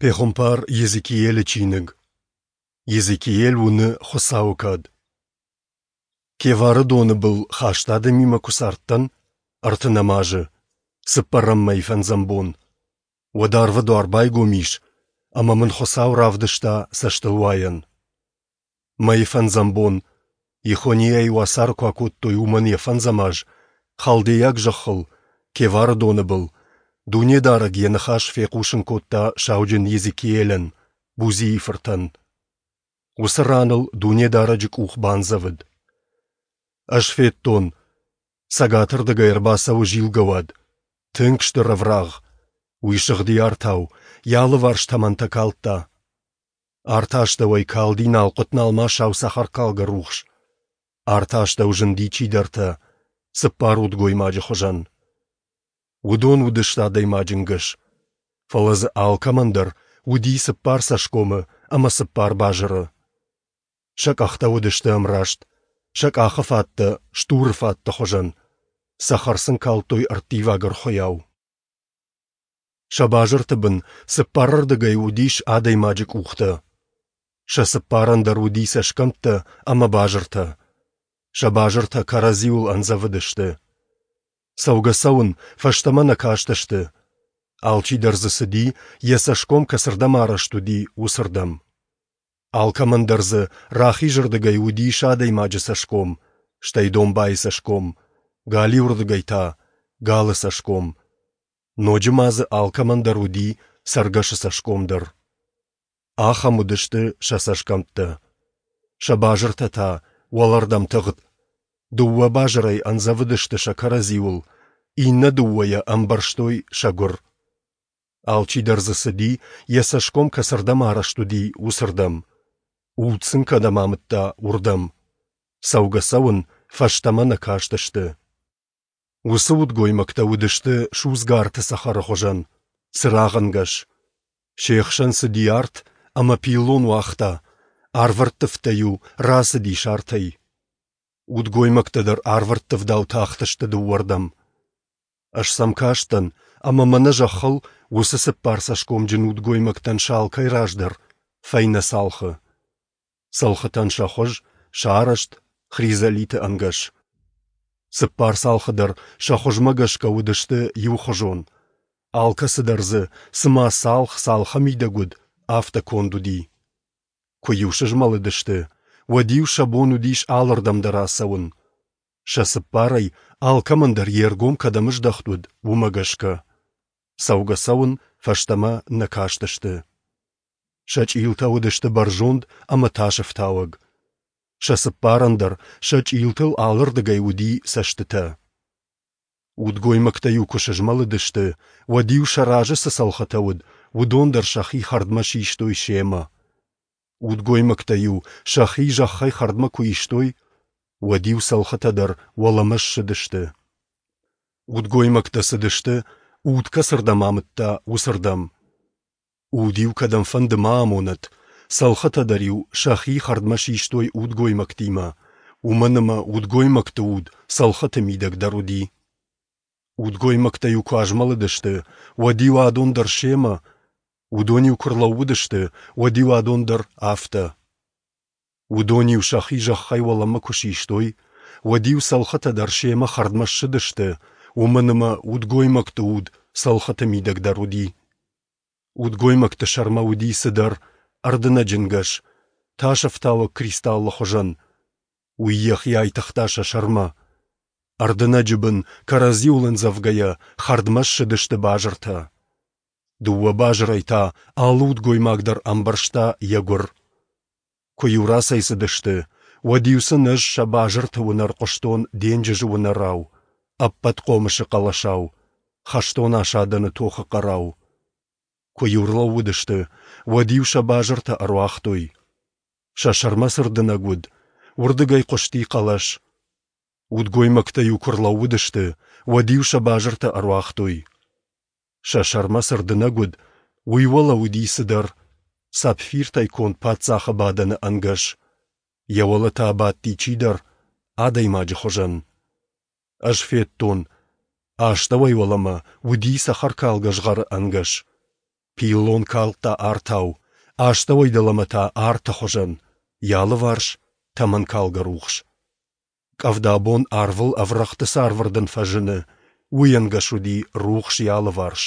Пехуымпар Йезекиелы чиныг. Йезекиел уыны Хуыцауы кад. Кевары доны был хаст адӕмимӕ куы цардтӕн, ӕртынӕм азы, цыппӕрӕм мӕй фӕндзӕм бон, уӕд арвы дуар байгом ис, ӕмӕ мын Хуыцау равдыста цӕстылуайӕн. Мӕйы фӕндзӕм бон, Ехонийӕйы уацары куы акодтой, уымӕн йӕ фӕндзӕм аз, халдейаг зӕххыл, Кевары доны был, Дунедарӕг йӕ ныхас фехъусын кодта сауджын Йезекиелӕн, Бузийы фыртӕн. Уыцы ран ыл Дунедарӕджы къух бандзӕвыд. Ӕз федтон, цӕгатырдыгӕй ӕрбацӕуы зилгӕ уад, тынг стыр ӕврагъ. Уый сыгъди артау, йӕ алыварс тӕмӕнтӕ калдта. Арты астӕуӕй калди налхъуыт-налмасау цӕхӕркалгӕ рухс. Арты астӕу зынди чидӕртӕ, цыппар удгоймаджы хуызӕн. Уыдон уыдысты адӕймаджы нгӕс, фӕлӕ дзы алкӕмӕн дӕр уыди цыппар цӕсгомы ӕмӕ цыппар базыры. Сӕ къӕхтӕ уыдысты ӕмраст, сӕ къахы фӕдтӕ стуры фӕдты хуызӕн, цӕхӕр сын калдтой ӕрттиваг ӕрхуыйау. Сӕ базырты бын цыппарырдыгӕй уыдис адӕймаджы къухтӕ. Сӕ цыппарӕн дӕр уыди цӕсгӕмттӕ ӕмӕ базыртӕ. Сӕ базыртӕ кӕрӕдзиуыл ӕндзӕвыдысты. Цӕугӕ-цӕуын фӕстӕмӕ нӕ кастысты. Алчидӕр дзы цыди, йӕ цӕсгом кӕцырдӕм арӕзт уыди, уыцырдӕм. Алкӕмӕн дӕр дзы рахизырдыгӕй уыдис адӕймаджы цӕсгом, стӕй домбайы цӕсгом, галиуырдыгӕй та — галы цӕсгом. Ноджы ма дзы алкӕмӕн дӕр уыди цӕргӕсы цӕсгом дӕр. Ахӕм уыдысты сӕ цӕсгӕмттӕ. Сӕ базыртӕ та уӕлӕрдӕм тыгъд. Дыууӕ базырӕй ӕндзӕвыдысты сӕ кӕрӕдзиуыл, иннӕ дыууӕйӕ ӕмбӕрзтой сӕ гуыр. Алчидӕр дзы цыди, йӕ цӕсгом кӕцырдӕм арӕзт уыди, уыцырдӕм. Уд сын кӕдӕм амыдта, уырдӕм. Цӕугӕ-цӕуын фӕстӕмӕ нӕ кастысты. Уыцы удгоймӕгтӕ уыдысты судзгӕ арты цӕхӕры хуызӕн, цырагъӕнгӕс. Се хсӕн цыди арт ӕмӕ пиллон уагъта, арвӕрттывтӕ-иу рацыдис артӕй. Удгоймӕгтӕ дӕр арвӕрттывдау тахтысты дыууӕрдӕм. Ӕз сӕм кастӕн, ӕмӕ мӕнӕ зӕххыл уыцы цыппарцӕсгомджын удгоймӕгтӕн сӕ алкӕй раз дӕр фӕйнӕ цалхы. Цӕлхытӕн сӕ хуыз, сӕ арӕзт хризолиты ӕнгӕс. Цыппар цалхы дӕр сӕ хуызмӕ гӕсгӕ уыдысты иухуызон. Алкӕцы дӕр дзы, цыма цалх цалхы мидӕг уыд, афтӕ конд уыди. Куы-иу сызмӕлыдысты, уӕд-иу сӕ бон уыдис алырдӕм дӕр ацӕуын. Сӕ цыппарӕй алкӕмӕн дӕр йе ргом кӕдӕм здӕхт уыд, уымӕ гӕсгӕ. Цӕугӕ-цӕуын фӕстӕмӕ нӕ кастысты. Сӕ чъилтӕ уыдысты бӕрзонд ӕмӕ тасӕфтауӕг. Сӕ цыппарӕн дӕр сӕ чъилтыл алырдыгӕй уыди цӕстытӕ. Удгоймӕгтӕ-иу куы сызмӕлыдысты, уӕд-иу сӕ разы цы цӕлхытӕ уыд, уыдон дӕр сӕхи хӕрдмӕ систой семӕ. Удгоймӕгтӕ-иу сӕхи зӕххӕй хӕрдмӕ куы истой, уӕд-иу цӕлхытӕ дӕр уӕлӕмӕ ссыдысты. Удгоймӕгтӕ цыдысты, уд кӕцырдӕм амыдта, уыцырдӕм. Уд-иу кӕдӕмфӕнды ма амонӕд, цӕлхытӕ дӕр-иу сӕхи хӕрдмӕ систой удгоймӕгтимӕ, уымӕн ӕмӕ удгоймӕгты уд цӕлхыты мидӕг дӕр уыди. Удгоймӕгтӕ-иу куы азмӕлыдысты, уӕд-иу адон дӕр семӕ, уыдон-иу куы рлӕууыдысты, уӕд-иу адон дӕр афтӕ. Уыдон-иу сӕхи зӕххӕй уӕлӕмӕ куы систой, уӕд-иу цӕлхытӕ дӕр семӕ хӕрдмӕ ссыдысты, уымӕн ӕмӕ удгоймӕгты уд цӕлхыты мидӕг дӕр уыди. Удгоймӕгты сӕрмӕ уыди цыдӕр ӕрдынӕджы нгӕс, тасӕфтауӕг кристаллы хуызӕн. Уый йӕхи айтыгъта сӕ сӕрмӕ. Ӕрдынӕджы бын, кӕрӕдзиуыл ӕндзӕвгӕйӕ, хӕрдмӕ ссыдысты базыртӕ. Дыууӕ базырӕй та алы удгоймаг дӕр ӕмбӕрзта йӕ гуыр. Куы-иу рацӕйцыдысты, уӕд-иу сын ӕз сӕ базырты уынӕр хъуыстон денджызы уынӕрау, ӕппӕт хъомысы хъӕлӕсау, хӕстон асадӕны тохы хъӕрау. Куы-иу рлӕууыдысты, уӕд-иу сӕ базыртӕ ӕруагътой. Сӕ сӕрмӕ цы рдынӕг уыд, уырдыгӕй хъуысти хъӕлӕс. Удгоймӕгтӕ-иу куы рлӕууыдысты, уӕд-иу сӕ базыртӕ ӕруагътой. Сӕ сӕрмӕ цы рдынӕг уыд, уый уӕлӕ уыди цыдӕр, сапфиртӕй конд паддзахы бадӕны ӕнгӕс. Йӕ уӕлӕ та бадти чидӕр, адӕймаджы хуызӕн. Ӕз федтон, астӕуӕй уӕлӕмӕ уыди цӕхӕркалгӕ згъӕры ӕнгӕс. Пиллон калдта артау, астӕуӕй дӕлӕмӕ та арты хуызӕн, йӕ алыварс тӕмӕнкалгӕ рухс. Къӕвда бон арвыл ӕврӕгъты цы арвӕрдын фӕзыны, уый ӕнгӕс уыди рухс йӕ алыварс.